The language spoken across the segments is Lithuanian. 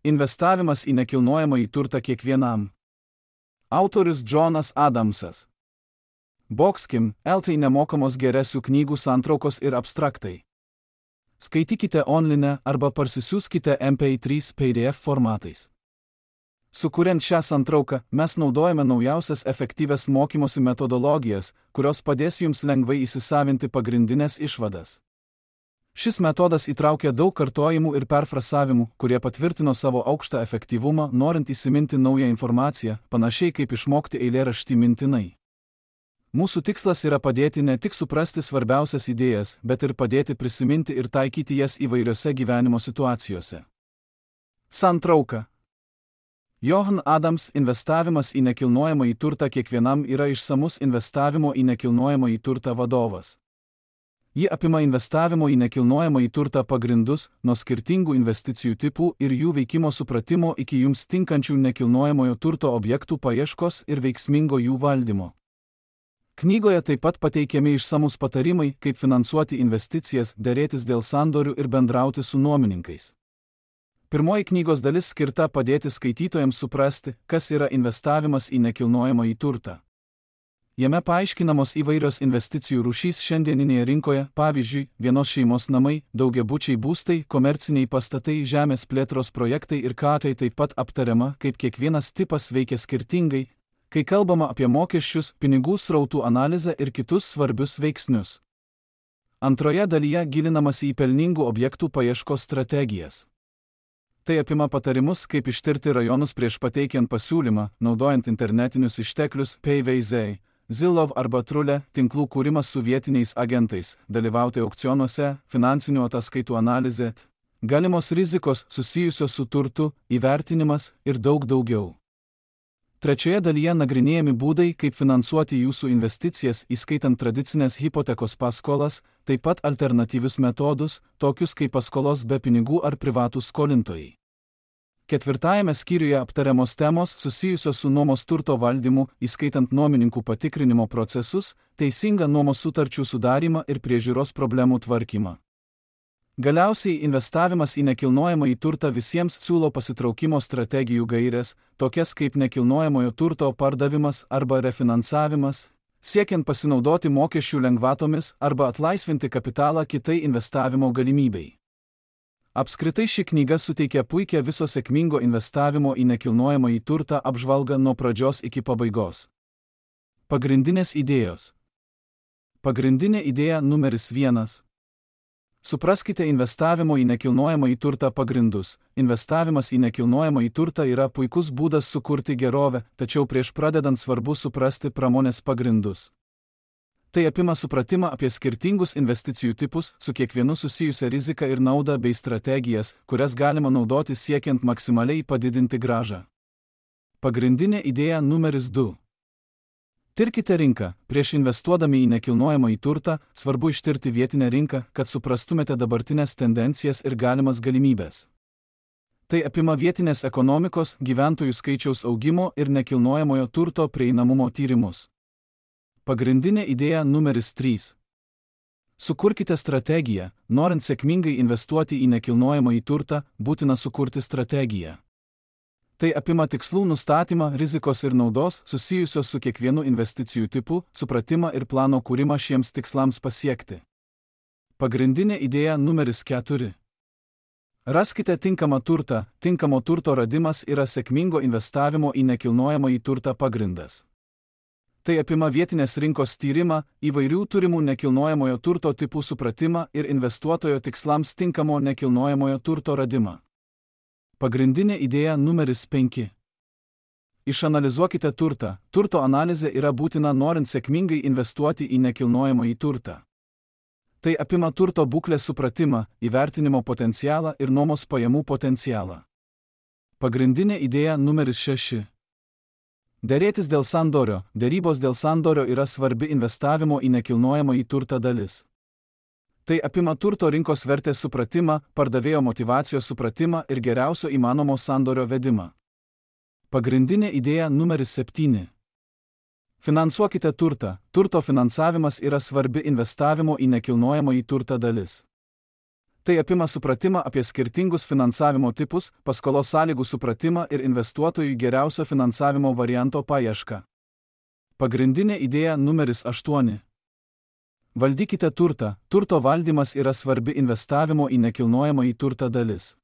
Investavimas į nekilnojamąjį turtą kiekvienam. Autorius Jonas Adamsas. Boxkim, LT nemokamos geresių knygų santraukos ir abstraktai. Skaitykite online arba parsisiųskite MP3 PDF formatais. Sukuriant šią santrauką, mes naudojame naujausias efektyvias mokymosi metodologijas, kurios padės jums lengvai įsisavinti pagrindinės išvadas. Šis metodas įtraukia daug kartojimų ir perfrasavimų, kurie patvirtino savo aukštą efektyvumą, norint įsiminti naują informaciją, panašiai kaip išmokti eilėraštį mintinai. Mūsų tikslas yra padėti ne tik suprasti svarbiausias idėjas, bet ir padėti prisiminti ir taikyti jas įvairiose gyvenimo situacijose. Santrauka. Johan Adams investavimas į nekilnojamąjį turtą kiekvienam yra išsamus investavimo į nekilnojamąjį turtą vadovas. Ji apima investavimo į nekilnojamąjį turtą pagrindus, nuo skirtingų investicijų tipų ir jų veikimo supratimo iki jums tinkančių nekilnojamojo turto objektų paieškos ir veiksmingo jų valdymo. Knygoje taip pat pateikiami išsamus patarimai, kaip finansuoti investicijas, derėtis dėl sandorių ir bendrauti su nuomininkais. Pirmoji knygos dalis skirta padėti skaitytojams suprasti, kas yra investavimas į nekilnojamąjį turtą. Jame paaiškinamos įvairios investicijų rūšys šiandieninėje rinkoje, pavyzdžiui, vienos šeimos namai, daugiabučiai būstai, komerciniai pastatai, žemės plėtros projektai ir tai taip pat aptariama, kaip kiekvienas tipas veikia skirtingai, kai kalbama apie mokesčius, pinigų srautų analizę ir kitus svarbius veiksnius. Antroje dalyje gilinamasi į pelningų objektų paieškos strategijas. Tai apima patarimus, kaip ištirti rajonus prieš pateikiant pasiūlymą, naudojant internetinius išteklius, PVZ, Zillow arba Trule, tinklų kūrimas su vietiniais agentais, dalyvauti aukcionuose, finansinių ataskaitų analizė, galimos rizikos susijusios su turtu, įvertinimas ir daug daugiau. Trečioje dalyje nagrinėjami būdai, kaip finansuoti jūsų investicijas, įskaitant tradicinės hipotekos paskolas, taip pat alternatyvius metodus, tokius kaip paskolos be pinigų ar privatūs skolintojai. Ketvirtajame skyriuje aptariamos temos susijusios su nuomos turto valdymu, įskaitant nuomininkų patikrinimo procesus, teisingą nuomos sutarčių sudarymą ir priežiūros problemų tvarkymą. Galiausiai investavimas į nekilnojamąjį turtą visiems siūlo pasitraukimo strategijų gaires, tokias kaip nekilnojamojo turto pardavimas arba refinansavimas, siekiant pasinaudoti mokesčių lengvatomis arba atlaisvinti kapitalą kitai investavimo galimybei. Apskritai ši knyga suteikia puikią viso sėkmingo investavimo į nekilnojamąjį turtą apžvalgą nuo pradžios iki pabaigos. Pagrindinės idėjos. Pagrindinė idėja numeris 1. Supraskite investavimo į nekilnojamąjį turtą pagrindus. Investavimas į nekilnojamąjį turtą yra puikus būdas sukurti gerovę, tačiau prieš pradedant svarbu suprasti pramonės pagrindus. Tai apima supratimą apie skirtingus investicijų tipus, su kiekvienu susijusią riziką ir naudą bei strategijas, kurias galima naudoti siekiant maksimaliai padidinti grąžą. Pagrindinė idėja numeris 2. Tirkite rinką. Prieš investuodami į nekilnojamąjį turtą, svarbu ištirti vietinę rinką, kad suprastumėte dabartinės tendencijas ir galimas galimybės. Tai apima vietinės ekonomikos, gyventojų skaičiaus augimo ir nekilnojamojo turto prieinamumo tyrimus. Pagrindinė idėja numeris 3. Sukurkite strategiją. Norint sėkmingai investuoti į nekilnojamąjį turtą, būtina sukurti strategiją. Tai apima tikslų nustatymą, rizikos ir naudos susijusios su kiekvienu investicijų tipu, supratimą ir plano kūrimą šiems tikslams pasiekti. Pagrindinė idėja numeris 4. Raskite tinkamą turtą. Tinkamo turto radimas yra sėkmingo investavimo į nekilnojamąjį turtą pagrindas. Tai apima vietinės rinkos tyrimą, įvairių turimų nekilnojamojo turto tipų supratimą ir investuotojo tikslams tinkamo nekilnojamojo turto radimą. Pagrindinė idėja numeris 5. Išanalizuokite turtą. Turto analizė yra būtina norint sėkmingai investuoti į nekilnojamąjį turtą. Tai apima turto būklės supratimą, įvertinimo potencialą ir nuomos pajamų potencialą. Pagrindinė idėja numeris 6. Derėtis dėl sandorio. Derybos dėl sandorio yra svarbi investavimo į nekilnojamąjį turtą dalis. Tai apima turto rinkos vertės supratimą, pardavėjo motyvacijos supratimą ir geriausio įmanomo sandorio vedimą. Pagrindinė idėja numeris 7. Finansuokite turtą. Turto finansavimas yra svarbi investavimo į nekilnojamąjį turtą dalis. Tai apima supratimą apie skirtingus finansavimo tipus, paskolos sąlygų supratimą ir investuotojų geriausio finansavimo varianto paiešką. Pagrindinė idėja numeris 8. Valdykite turtą. Turto valdymas yra svarbi investavimo į nekilnojamąjį turtą dalis.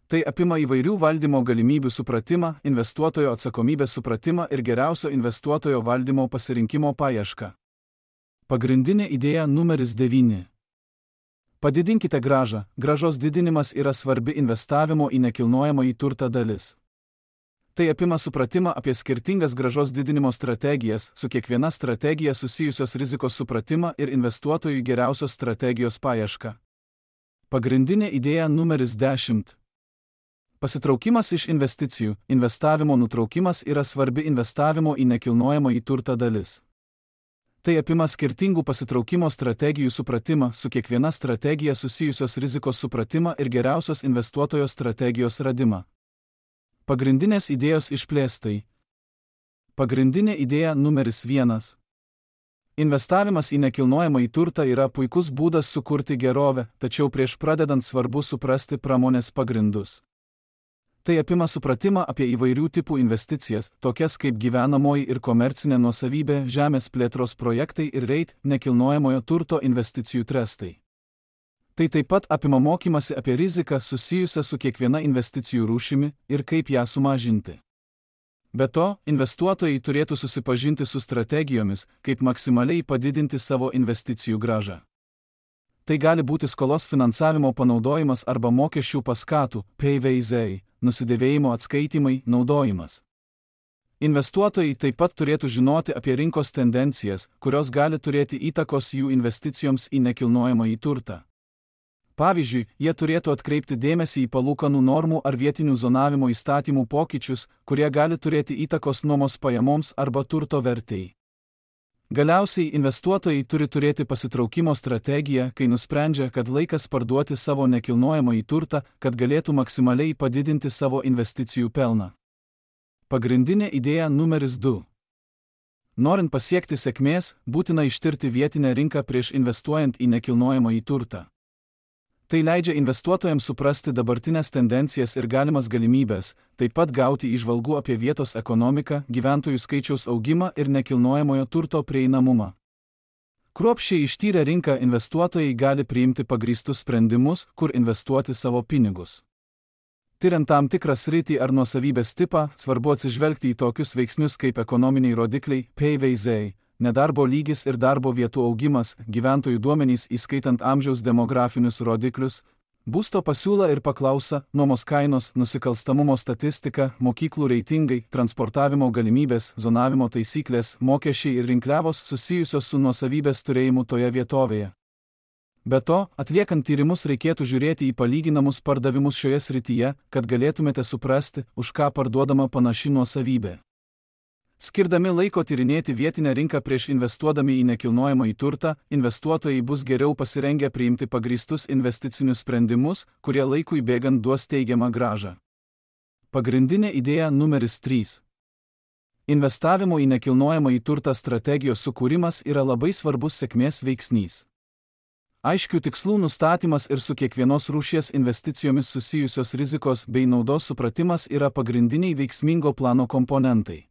Tai apima įvairių valdymo galimybių supratimą, investuotojo atsakomybės supratimą ir geriausio investuotojo valdymo pasirinkimo paiešką. Pagrindinė idėja numeris 9. Padidinkite grąžą. Grąžos didinimas yra svarbi investavimo į nekilnojamąjį turtą dalis. Tai apima supratimą apie skirtingas grąžos didinimo strategijas, su kiekviena strategija susijusios rizikos supratimą ir investuotojų geriausios strategijos paiešką. Pagrindinė idėja numeris 10. Pasitraukimas iš investicijų. Investavimo nutraukimas yra svarbi investavimo į nekilnojamąjį turtą dalis. Tai apima skirtingų pasitraukimo strategijų supratimą, su kiekviena strategija susijusios rizikos supratimą ir geriausios investuotojo strategijos radimą. Pagrindinės idėjos išplėstai. Pagrindinė idėja numeris 1. Investavimas į nekilnojamąjį turtą yra puikus būdas sukurti gerovę, tačiau prieš pradedant svarbu suprasti pramonės pagrindus. Tai apima supratimą apie įvairių tipų investicijas, tokias kaip gyvenamoji ir komercinė nuosavybė, žemės plėtros projektai ir REIT nekilnojamojo turto investicijų trestai. Tai taip pat apima mokymasi apie riziką susijusią su kiekviena investicijų rūšimi ir kaip ją sumažinti. Be to, investuotojai turėtų susipažinti su strategijomis, kaip maksimaliai padidinti savo investicijų grąžą. Tai gali būti skolos finansavimo panaudojimas arba mokesčių paskatų, PVZ, nusidėvėjimo atskaitimai, naudojimas. Investuotojai taip pat turėtų žinoti apie rinkos tendencijas, kurios gali turėti įtakos jų investicijoms į nekilnojamąjį turtą. Pavyzdžiui, jie turėtų atkreipti dėmesį į palūkanų normų ar vietinių zonavimo įstatymų pokyčius, kurie gali turėti įtakos nuomos pajamoms arba turto vertei. Galiausiai investuotojai turi turėti pasitraukimo strategiją, kai nusprendžia, kad laikas parduoti savo nekilnojamąjį turtą, kad galėtų maksimaliai padidinti savo investicijų pelną. Pagrindinė idėja numeris 2. Norint pasiekti sėkmės, būtina ištirti vietinę rinką prieš investuojant į nekilnojamąjį turtą. Tai leidžia investuotojams suprasti dabartinės tendencijas ir galimas galimybės, taip pat gauti įžvalgų apie vietos ekonomiką, gyventojų skaičiaus augimą ir nekilnojamojo turto prieinamumą. Kruopščiai ištyrę rinką investuotojai gali priimti pagrįstus sprendimus, kur investuoti savo pinigus. Tiriant tam tikrą sritį ar nuosavybės tipą, svarbu atsižvelgti į tokius veiksnius kaip ekonominiai rodikliai, PVZ, nedarbo lygis ir darbo vietų augimas, gyventojų duomenys įskaitant amžiaus demografinius rodiklius, būsto pasiūla ir paklausa, nuomos kainos, nusikalstamumo statistika, mokyklų reitingai, transportavimo galimybės, zonavimo taisyklės, mokesčiai ir rinkliavos susijusios su nuosavybės turėjimu toje vietovėje. Be to, atliekant tyrimus reikėtų žiūrėti į palyginamus pardavimus šioje srityje, kad galėtumėte suprasti, už ką parduodama panaši nuosavybė. Skirdami laiko tyrinėti vietinę rinką prieš investuodami į nekilnojamąjį turtą, investuotojai bus geriau pasirengę priimti pagrįstus investicinius sprendimus, kurie laikui bėgant duos teigiamą grąžą. Pagrindinė idėja numeris 3. Investavimo į nekilnojamąjį turtą strategijos sukūrimas yra labai svarbus sėkmės veiksnys. Aiškių tikslų nustatymas ir su kiekvienos rūšies investicijomis susijusios rizikos bei naudos supratimas yra pagrindiniai veiksmingo plano komponentai.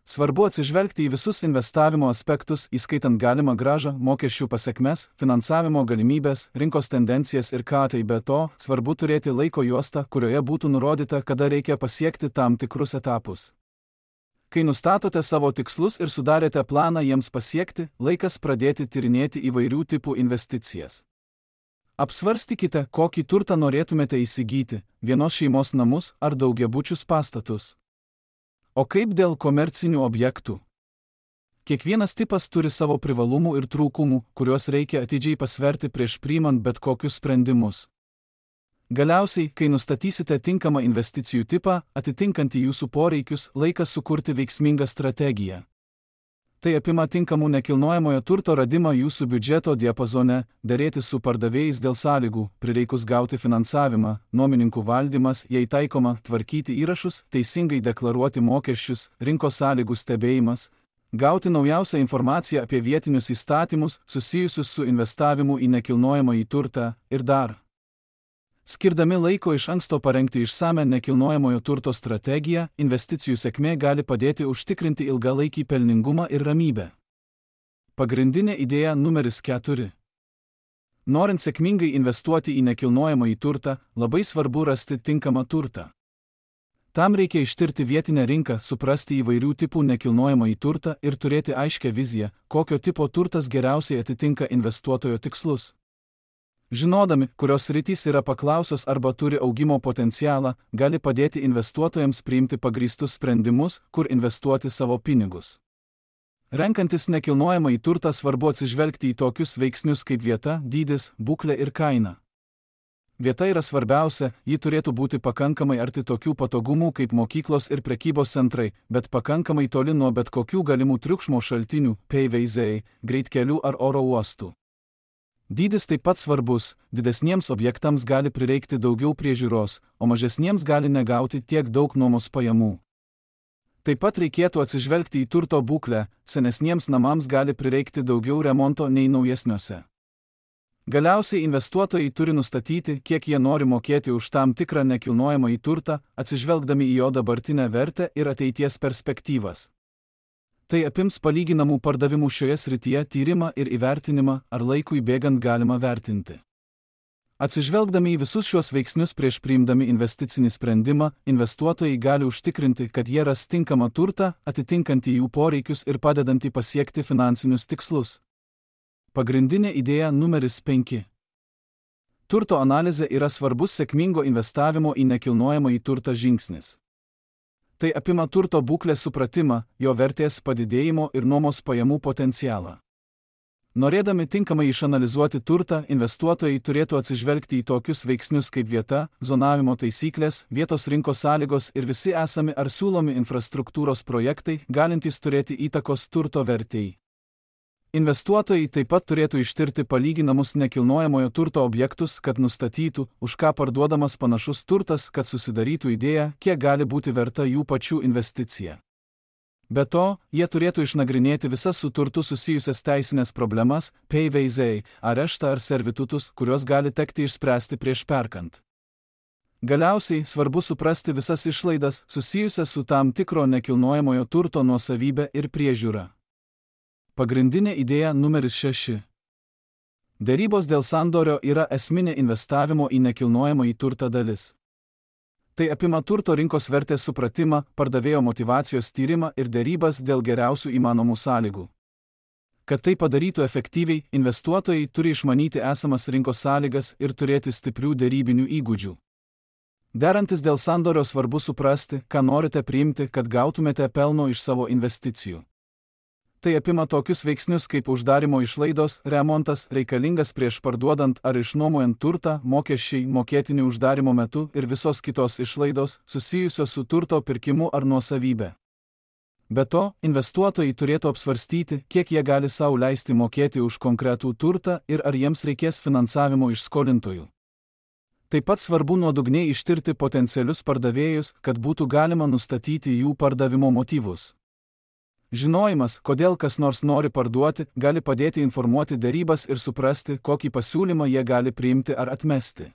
Svarbu atsižvelgti į visus investavimo aspektus, įskaitant galimą grąžą, mokesčių pasekmes, finansavimo galimybės, rinkos tendencijas ir ką tai be to, svarbu turėti laiko juostą, kurioje būtų nurodyta, kada reikia pasiekti tam tikrus etapus. Kai nustatote savo tikslus ir sudarėte planą jiems pasiekti, laikas pradėti tyrinėti įvairių tipų investicijas. Apsvarstykite, kokį turtą norėtumėte įsigyti – vienos šeimos namus ar daugiabučius pastatus. O kaip dėl komercinių objektų? Kiekvienas tipas turi savo privalumų ir trūkumų, kuriuos reikia atidžiai pasverti prieš priimant bet kokius sprendimus. Galiausiai, kai nustatysite tinkamą investicijų tipą, atitinkantį jūsų poreikius, laikas sukurti veiksmingą strategiją. Tai apima tinkamų nekilnojamojo turto radimą jūsų biudžeto diapazone, derėtis su pardavėjais dėl sąlygų, prireikus gauti finansavimą, nuomininkų valdymas, jei taikoma, tvarkyti įrašus, teisingai deklaruoti mokesčius, rinkos sąlygų stebėjimas, Gauti naujausią informaciją apie vietinius įstatymus susijusius su investavimu į nekilnojamąjį turtą ir dar. Skirdami laiko iš anksto parengti išsame nekilnojamojo turto strategiją, investicijų sėkmė gali padėti užtikrinti ilgalaikį pelningumą ir ramybę. Pagrindinė idėja numeris 4. Norint sėkmingai investuoti į nekilnojamąjį turtą, labai svarbu rasti tinkamą turtą. Tam reikia ištirti vietinę rinką, suprasti įvairių tipų nekilnojamąjį turtą ir turėti aiškią viziją, kokio tipo turtas geriausiai atitinka investuotojo tikslus. Žinodami, kurios sritys yra paklausios arba turi augimo potencialą, gali padėti investuotojams priimti pagrįstus sprendimus, kur investuoti savo pinigus. Renkantis nekilnojamąjį turtą svarbu atsižvelgti į tokius veiksnius kaip vieta, dydis, būklė ir kaina. Vieta yra svarbiausia, ji turėtų būti pakankamai arti tokių patogumų kaip mokyklos ir prekybos centrai, bet pakankamai toli nuo bet kokių galimų triukšmo šaltinių, paveiziai, greitkelių ar oro uostų. Dydis taip pat svarbus, didesniems objektams gali prireikti daugiau priežiūros, o mažesniems gali negauti tiek daug nuomos pajamų. Taip pat reikėtų atsižvelgti į turto būklę, senesniems namams gali prireikti daugiau remonto nei naujesniuose. Galiausiai investuotojai turi nustatyti, kiek jie nori mokėti už tam tikrą nekilnojamąjį turtą, atsižvelgdami į jo dabartinę vertę ir ateities perspektyvas. Tai apims palyginamų pardavimų šioje srityje tyrimą ir įvertinimą, ar laikui bėgant galima vertinti. Atsižvelgdami į visus šios veiksnius prieš priimdami investicinį sprendimą, investuotojai gali užtikrinti, kad jie ras tinkamą turtą, atitinkantį jų poreikius ir padedantį pasiekti finansinius tikslus. Pagrindinė idėja numeris 5. Turto analizė yra svarbus sėkmingo investavimo į nekilnojamąjį turtą žingsnis. Tai apima turto būklės supratimą, jo vertės padidėjimo ir nuomos pajamų potencialą. Norėdami tinkamai išanalizuoti turtą, investuotojai turėtų atsižvelgti į tokius veiksnius kaip vieta, zonavimo taisyklės, vietos rinkos sąlygos ir visi esami ar siūlomi infrastruktūros projektai, galintys turėti įtakos turto vertei. Investuotojai taip pat turėtų ištirti palyginamus nekilnojamojo turto objektus, kad nustatytų, už ką parduodamas panašus turtas, kad susidarytų idėją, kiek gali būti verta jų pačių investicija. Be to, jie turėtų išnagrinėti visas su turtu susijusias teisinės problemas, paveiziai, areštą ar servitutus, kuriuos gali tekti išspręsti prieš perkant. Galiausiai svarbu suprasti visas išlaidas susijusias su tam tikro nekilnojamojo turto nuosavybė ir priežiūra. Pagrindinė idėja numeris 6. Derybos dėl sandorio yra esminė investavimo į nekilnojamąjį turtą dalis. Tai apima turto rinkos vertės supratimą, pardavėjo motyvacijos tyrimą ir derybas dėl geriausių įmanomų sąlygų. Kad tai padarytų efektyviai, investuotojai turi išmanyti esamas rinkos sąlygas ir turėti stiprių derybinių įgūdžių. Derantis dėl sandorio svarbu suprasti, ką norite priimti, kad gautumėte pelno iš savo investicijų. Tai apima tokius veiksnius kaip uždarimo išlaidos, remontas, reikalingas prieš parduodant ar išnuomojant turtą, mokesčiai, mokėtini uždarimo metu ir visos kitos išlaidos susijusios su turto pirkimu ar nuosavybė. Be to, investuotojai turėtų apsvarstyti, kiek jie gali sau leisti mokėti už konkretų turtą ir ar jiems reikės finansavimo iš skolintojų. Taip pat svarbu nuodugniai ištirti potencialius pardavėjus, kad būtų galima nustatyti jų pardavimo motyvus. Žinojimas, kodėl kas nors nori parduoti, gali padėti informuoti derybas ir suprasti, kokį pasiūlymą jie gali priimti ar atmesti.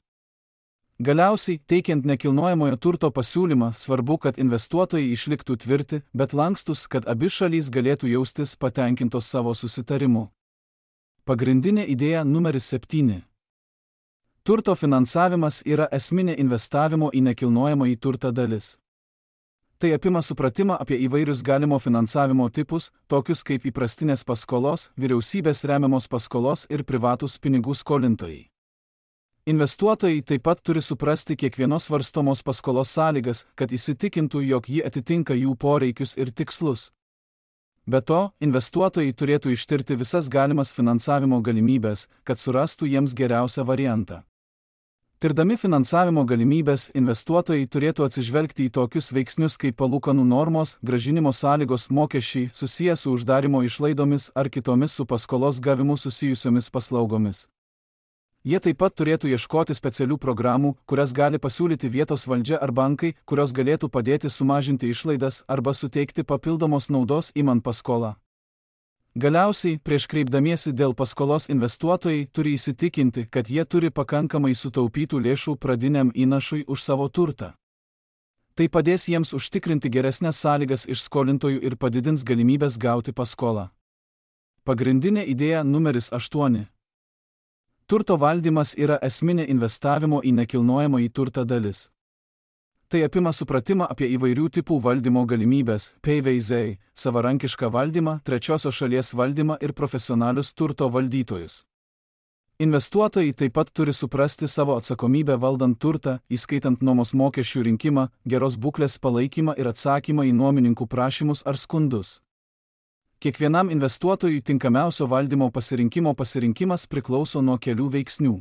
Galiausiai, teikiant nekilnojamojo turto pasiūlymą, svarbu, kad investuotojai išliktų tvirti, bet lankstus, kad abi šalys galėtų jaustis patenkintos savo susitarimu. Pagrindinė idėja numeris 7. Turto finansavimas yra esminė investavimo į nekilnojamąjį turtą dalis. Tai apima supratimą apie įvairius galimo finansavimo tipus, tokius kaip įprastinės paskolos, vyriausybės remiamos paskolos ir privatūs pinigų skolintojai. Investuotojai taip pat turi suprasti kiekvienos svarstomos paskolos sąlygas, kad įsitikintų, jog ji atitinka jų poreikius ir tikslus. Be to, investuotojai turėtų ištirti visas galimas finansavimo galimybės, kad surastų jiems geriausią variantą. Tirdami finansavimo galimybės, investuotojai turėtų atsižvelgti į tokius veiksnius kaip palūkanų normos, grąžinimo sąlygos, mokesčiai susiję su uždarimo išlaidomis ar kitomis su paskolos gavimu susijusiomis paslaugomis. Jie taip pat turėtų ieškoti specialių programų, kurias gali pasiūlyti vietos valdžia ar bankai, kurios galėtų padėti sumažinti išlaidas arba suteikti papildomos naudos imant paskolą. Galiausiai, prieš kreipdamiesi dėl paskolos investuotojai turi įsitikinti, kad jie turi pakankamai sutaupytų lėšų pradiniam įnašui už savo turtą. Tai padės jiems užtikrinti geresnės sąlygas iš skolintojų ir padidins galimybės gauti paskolą. Pagrindinė idėja numeris 8. Turto valdymas yra esminė investavimo į nekilnojamąjį turtą dalis. Tai apima supratimą apie įvairių tipų valdymo galimybės, PVZ, savarankišką valdymą, trečiosios šalies valdymą ir profesionalius turto valdytojus. Investuotojai taip pat turi suprasti savo atsakomybę valdant turtą, įskaitant nuomos mokesčių rinkimą, geros būklės palaikymą ir atsakymą į nuomininkų prašymus ar skundus. Kiekvienam investuotojui tinkamiausio valdymo pasirinkimas priklauso nuo kelių veiksnių.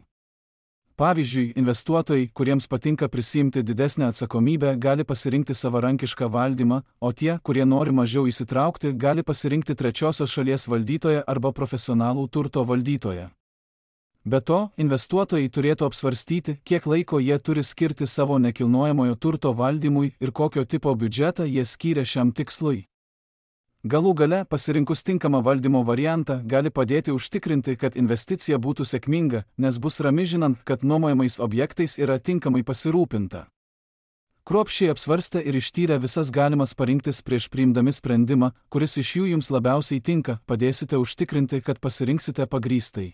Pavyzdžiui, investuotojai, kuriems patinka prisiimti didesnę atsakomybę, gali pasirinkti savarankišką valdymą, o tie, kurie nori mažiau įsitraukti, gali pasirinkti trečiosios šalies valdytoją arba profesionalų turto valdytoją. Be to, investuotojai turėtų apsvarstyti, kiek laiko jie turi skirti savo nekilnojamojo turto valdymui ir kokio tipo biudžetą jie skyrė šiam tikslui. Galų gale, pasirinkus tinkamą valdymo variantą, gali padėti užtikrinti, kad investicija būtų sėkminga, nes bus rami žinant, kad nuomojamais objektais yra tinkamai pasirūpinta. Kruopščiai apsvarstę ir ištyrę visas galimas parinktis prieš priimdami sprendimą, kuris iš jų jums labiausiai tinka, padėsite užtikrinti, kad pasirinksite pagrįstai.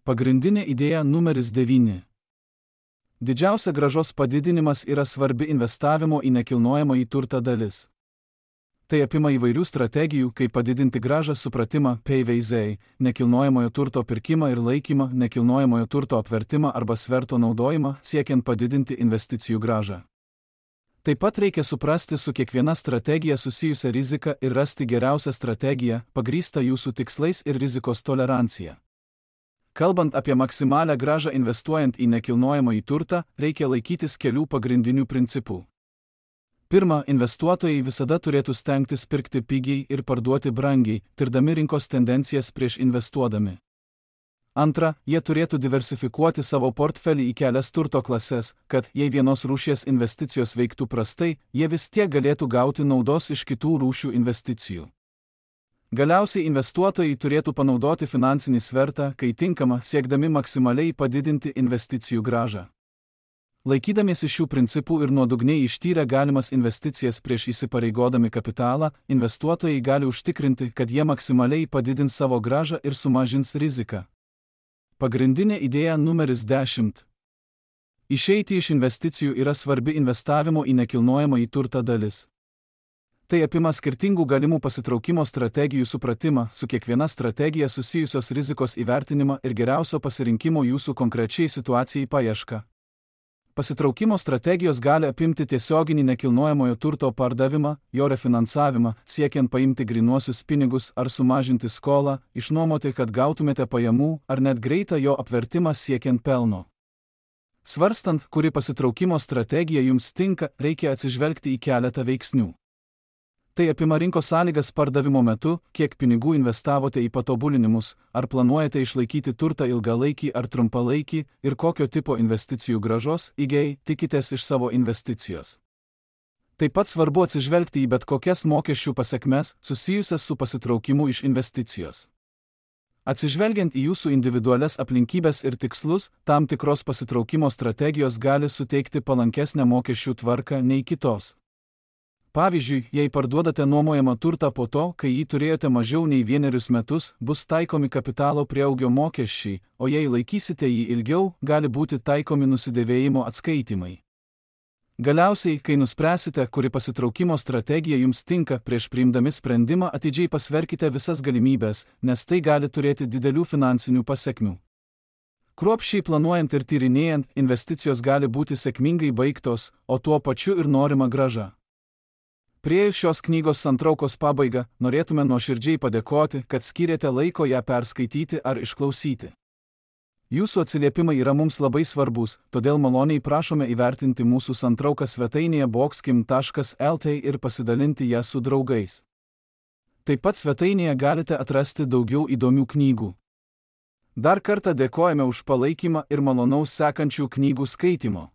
Pagrindinė idėja numeris 9. Didžiausia grąžos padidinimas yra svarbi investavimo į nekilnojamąjį turtą dalis. Tai apima įvairių strategijų, kaip padidinti grąžą supratimą, PVZ, nekilnojamojo turto pirkimą ir laikymą, nekilnojamojo turto apvertimą arba sverto naudojimą, siekiant padidinti investicijų grąžą. Taip pat reikia suprasti su kiekviena strategija susijusią riziką ir rasti geriausią strategiją, pagrįstą jūsų tikslais ir rizikos tolerancija. Kalbant apie maksimalią grąžą investuojant į nekilnojamąjį turtą, reikia laikytis kelių pagrindinių principų. Pirma, investuotojai visada turėtų stengtis pirkti pigiai ir parduoti brangiai, tirdami rinkos tendencijas prieš investuodami. Antra, jie turėtų diversifikuoti savo portfelį į kelias turto klases, kad, jei vienos rūšies investicijos veiktų prastai, jie vis tiek galėtų gauti naudos iš kitų rūšių investicijų. Galiausiai investuotojai turėtų panaudoti finansinį svertą, kai tinkama, siekdami maksimaliai padidinti investicijų grąžą. Laikydamiesi šių principų ir nuodugniai ištyrę galimas investicijas prieš įsipareigodami kapitalą, investuotojai gali užtikrinti, kad jie maksimaliai padidins savo grąžą ir sumažins riziką. Pagrindinė idėja numeris 10. Išeiti iš investicijų yra svarbi investavimo į nekilnojamąjį turtą dalis. Tai apima skirtingų galimų pasitraukimo strategijų supratimą, su kiekviena strategija susijusios rizikos įvertinimą ir geriausio pasirinkimo jūsų konkrečiai situacijai paiešką. Pasitraukimo strategijos gali apimti tiesioginį nekilnojamojo turto pardavimą, jo refinansavimą, siekiant paimti grynuosius pinigus ar sumažinti skolą, išnuomoti, kad gautumėte pajamų, ar net greitą jo apvertimą siekiant pelno. Svarstant, kuri pasitraukimo strategija jums tinka, reikia atsižvelgti į keletą veiksnių. Tai apima rinkos sąlygas pardavimo metu, kiek pinigų investavote į patobulinimus, ar planuojate išlaikyti turtą ilgalaikį ar trumpalaikį ir kokio tipo investicijų grąžos, IGEI, tikitės iš savo investicijos. Taip pat svarbu atsižvelgti į bet kokias mokesčių pasekmes susijusias su pasitraukimu iš investicijos. Atsižvelgiant į jūsų individualias aplinkybės ir tikslus, tam tikros pasitraukimo strategijos gali suteikti palankesnę mokesčių tvarką nei kitos. Pavyzdžiui, jei parduodate nuomojamą turtą po to, kai jį turėjote mažiau nei 1 metus, bus taikomi kapitalo prieaugio mokesčiai, o jei laikysite jį ilgiau, gali būti taikomi nusidėvėjimo atskaitimai. Galiausiai, kai nuspręsite, kuri pasitraukimo strategija jums tinka, prieš priimdami sprendimą atidžiai pasverkite visas galimybės, nes tai gali turėti didelių finansinių pasekmių. Kruopščiai planuojant ir tyrinėjant, investicijos gali būti sėkmingai baigtos, o tuo pačiu ir norima grąža. Priėjus šios knygos santraukos pabaigą, norėtume nuoširdžiai padėkoti, kad skyrėte laiko ją perskaityti ar išklausyti. Jūsų atsiliepimai yra mums labai svarbus, todėl maloniai prašome įvertinti mūsų santrauką svetainėje boxkim.lt ir pasidalinti ją su draugais. Taip pat svetainėje galite atrasti daugiau įdomių knygų. Dar kartą dėkojame už palaikymą ir malonaus sekančių knygų skaitimo.